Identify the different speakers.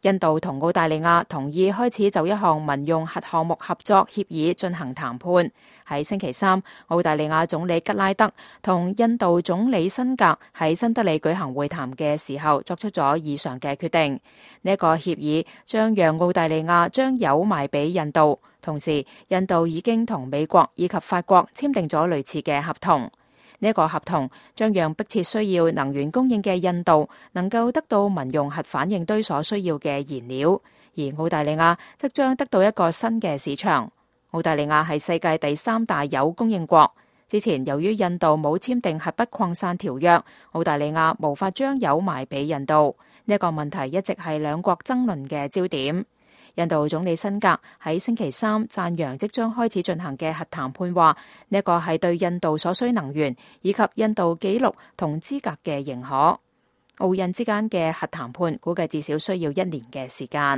Speaker 1: 印度同澳大利亞同意開始就一項民用核項目合作協議進行談判。喺星期三，澳大利亞總理吉拉德同印度總理辛格喺新德里舉行會談嘅時候，作出咗以上嘅決定。呢一個協議將讓澳大利亞將鈾賣俾印度，同時印度已經同美國以及法國簽訂咗類似嘅合同。呢一個合同將讓迫切需要能源供應嘅印度能夠得到民用核反應堆所需要嘅燃料，而澳大利亞則將得到一個新嘅市場。澳大利亞係世界第3大鈾供應國。之前由於印度冇簽訂核不擴散條約，澳大利亞無法將鈾賣俾印度。呢一個問題一直係兩國爭論嘅焦點。印度總理辛格喺星期三讚揚即將開始進行嘅核談判，話呢一個係對印度所需能源以及印度紀錄同資格嘅認可。澳印之間嘅核談判估計至少需要1年嘅時間。